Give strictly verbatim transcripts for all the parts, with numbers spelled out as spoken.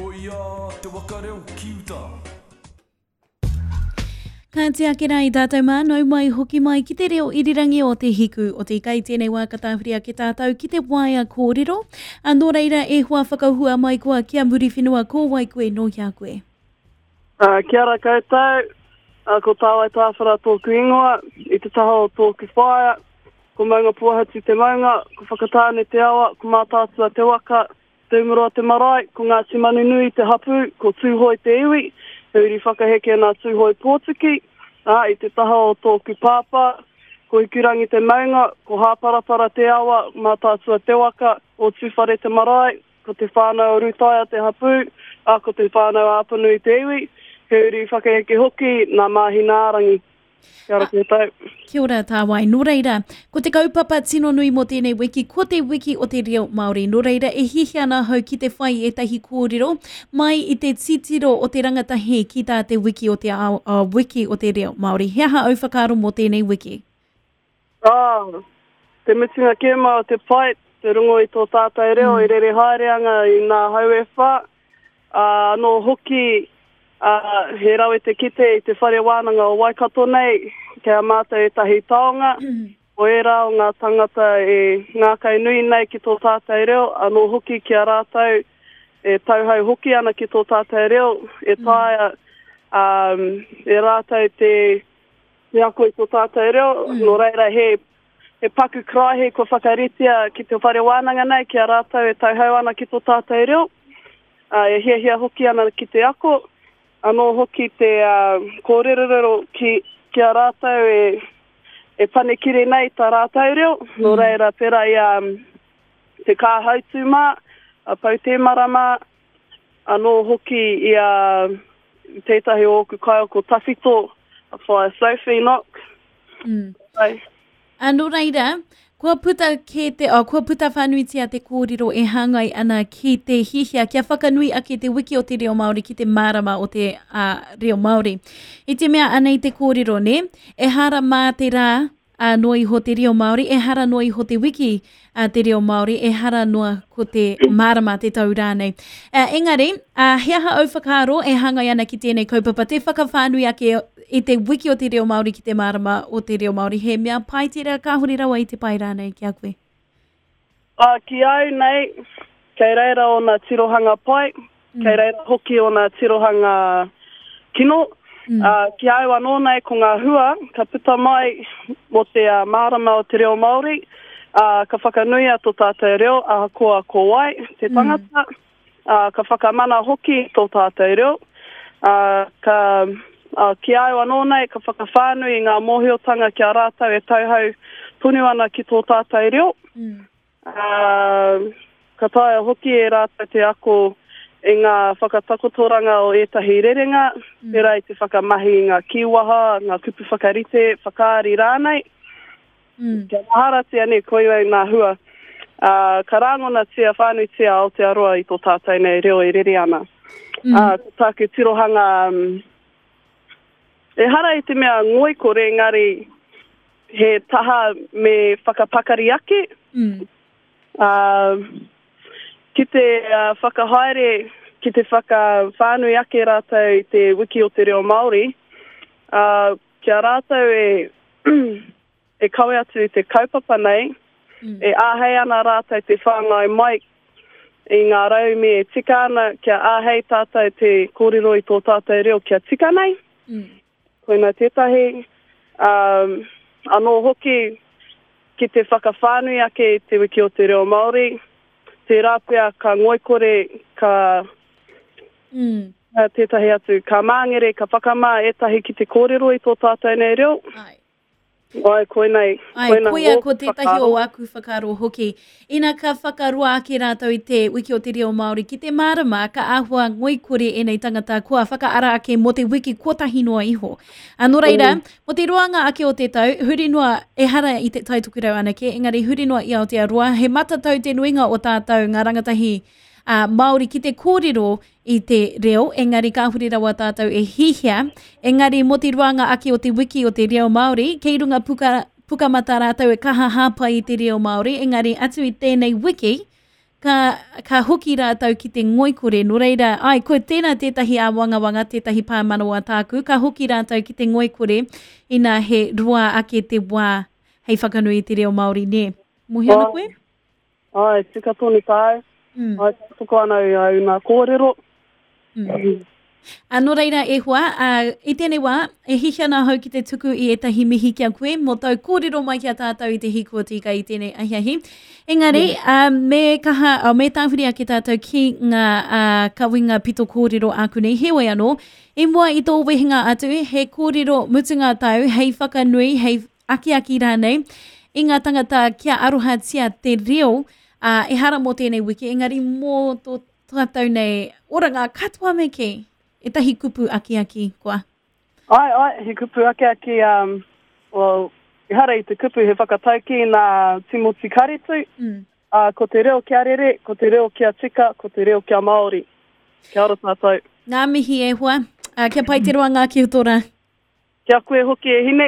Hoia te waka reo ki uta. Ka ake rā i tātou mā, nau mai hoki mai ki te reo irirangi o Te Hiku o te Ika. I tēnei wā ka tāwhiri ake tātou ki te waea kōrero. A nō reira e hoa whakahua mai koa ki a Muriwhenua, ko wai koe, nō hea koe? Uh, kia ora koutou, uh, ko Tāwai Tāwhara tōku ingoa, i te taha o tōku whaea, ko Maungapōhatu te maunga, ko Whakatāne te awa, ko Mātaatua te waka, Te Umuroa te marae, ko Ngāti Manunui te hapū, ko Tūhoe te iwi, he uri whakaheke nā Tūhoe Pōtiki, ā, i te taha o tōku pāpā, ko Hikurangi te maunga, ko Hāparapara te awa, Mātaatua te waka, o Tūwhare te marae, ko te whānau o Rūtaia te hapū, ā, ko te whānau a Apanui te iwi, he uri whakaheke hoki nā Māhinaarangi. Kia ora koutou. Kia ora Tāwai. Nō reira, ko te kaupapa tino nui mō tēnei wiki, ko te wiki o te reo Māori. Nō reira, e hiahia ana ahau ki te whai ētahi kōrero mai i te titiro o te rangatahi ki tā te wiki o te ao, uh, wiki o te reo Māori. He aha au whakaaro mō tēnei wiki? Ah, te mutunga kē mā o te pai, te rongo i tō tātou reo, mm. i rere haere anga i ngā hau e whā. Ah, anō hoki, ah, he rawe te kite i te whare wānanga o Waikato nei, kei a mātou ētahi taonga, o ērā o ngā tangata e ngākau nui nei ki tō tātou reo, anō hoki ki a rātou e tauhau hoki ana ki tō tātou reo, e taea um, e rātou te, te ako i tō tātou reo, mm. nō reira he, he paku karaehe kua whakaritea ki te whare wānanga nei, ki a rātou e tauhau ana ki tō tātou reo, uh, e hiahia hoki ana ki te ako, anō hoki te uh, kōrerorero ki, ki a rātou e, e panekire nei tā rātou reo, mm. nō reira pērā i um, te kāhautu mā, a Pautēmara mā, anō hoki i a tētahi o ōku kaiako tawhito, a Whaea Sophie Knock. Mm. Ai. A nō reira, kua puta kē te, oh, kua puta whānuitia te kōrero e hāngai ana ki te hihia kia whakanui ake te wiki o te reo Māori ki te mārama o te uh, reo Māori. I te mea anei te kōrero, ne? Ehara mā te rā uh, noa iho te reo Māori, ehara noa iho te wiki uh, te reo Māori, ehara noa ko te mārama te tau rānei. Uh, engari, uh, he aha au whakaaro e hāngai ana ki tēnei kaupapa, te whakawhānui ake i te wiki o te reo Māori ki te mārama o te reo Māori, he mea pai tērā, kāhore rawa i te pai rānei ki a koe? Uh, ki au nei, kei reira ōna tirohanga pai, mm. kei reira hoki ōna tirohanga kino. Mm. Uh, ki au anō nei ko ngā hua, ka puta mai mō te uh, mārama o te reo Māori, uh, ka whakanuia tō tātou reo, ahakoa ko wai te tangata, mm. uh, ka whakamana hoki tō tātou reo, uh, ka, uh, ki au anō nei, ka whakawhānui i ngā mōhiotanga ki a rātou e tauhau tonu ana ki tō tātou reo. Mm. Uh, ka taea hoki e rātou te ako i ngā whakatakotoranga o ētahi rerenga, mm. pērā i te whakamahi i ngā kīwaha, ngā kupu whakarite, whakaari rānei. Mm. Kia maharatia nei, koirei ngā hua. Uh, ka rāngonatia whānuitia Aotearoa i tō tātou nei reo e rere ana. Mm. Uh, ko tāku tirohanga, um, ehara i te mea ngoikore, engari he taha me whakapakari ake. Mm. Uh, ki te uh, whakahaere, ki te whakawhānui ake rātou i te wiki o te reo Māori, uh, kia rātou e, e kawe atu i te kaupapa nei, mm. e āhei ana rātou te whāngai mai i ngā rauemi e tika ana, kia āhei tātou te kōrero i tō tātou reo kia tika nei. Mm. Koina tētahi, um, anō hoki ki te whakawhānui ake i te wiki o te reo Māori, tērā pea ka ngoikore, ka mm. tētahi atu, ka māngere, ka whakamā ētahi ki te kōrero i tō tātou nei reo. Ai. Ai, koinei, Ai, koina koia ōku ko tētahi whakaaro. o aku whakaaro hoki. Ina ka whakaroa ake rātou i te wiki o te reo Māori ki te mārama, ka āhua ngoikore ēnei tangata kua whakaara ake mō te wiki kotahi noa iho. A nō reira, Mm. mō te roanga ake o te tau, huri noa, ehara i te Tai Tokerau anake, engari huri noa i Aotearoa, he matatau te nuinga o tātou ngā rangatahi uh, Māori ki te kōrero i te reo, engari kāhore rawa tātou e hihia, engari mō te roanga ake o te wiki o te reo Māori, kei runga puka, pukamata rātou e kaha hāpai i te reo Māori, engari atu i tēnei wiki, ka, ka hoki rātou ki te ngoikore. Nō reira, ai, ko tēnā tētahi āwangawanga, tētahi pāmanawa tāku, ka hoki rātou ki te ngoikore, ina he roa ake te wā hei whakanui i te reo Māori, nē. Mōhio ana koe? Ai, tika tonu tāu. Mm. Ai, tuku ana i au nā kōrero. Mm. A, nō reira e hoa, a, i tēnei wā, e hihia ana ahau ki te tuku i ētahi mihi ki a koe, mō tau kōrero mai ki a tātou i te hīkotika i tēnei ahiahi. Engari, mm. a, me kaha, a, me tāwhiri ake tātou ki ngā a, kawinga pito kōrero āku nei. Heoi anō, i mua i tō wehenga atu, he kōrero mutunga tau, hei whakanui, hei akiaki rānei, i ngā tangata kia arohatia te reo, uh, ehara mō tēnei wiki, engari mō tō tātou nei oranga katoa me kī. Ētahi kupu akiaki koa. Ai, ai, he kupu akiaki, um, well, ehara i te kupu he whakatauki nā Timoti Karetu. Mm. Uh, ko te reo kia rere, ko te reo kia tika, ko te reo kia Māori. Kia ora tātou. Ngā mihi e hoa. Uh, kia pai te roa ngā ki o tō rā. Kia koe hoki e hine.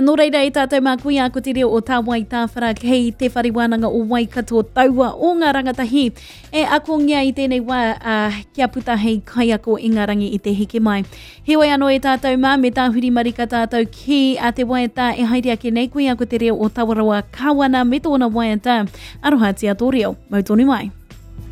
Nō reira e tātou mā koia ko te reo o Tā Wai Tāwhara kei te whare wānanga o Waikato taua o ngā rangatahi e akongia i tēnei wā uh, kia puta hei kaiako i ngā rangi i te heke mai. Heoi anō e tātou mā me tāhuri marika tātou ki a te waiata e haere ake nei koia ko te reo o Tawaroa Kawana me tōna waiata. Arohatia tō reo. Mau tonu mai.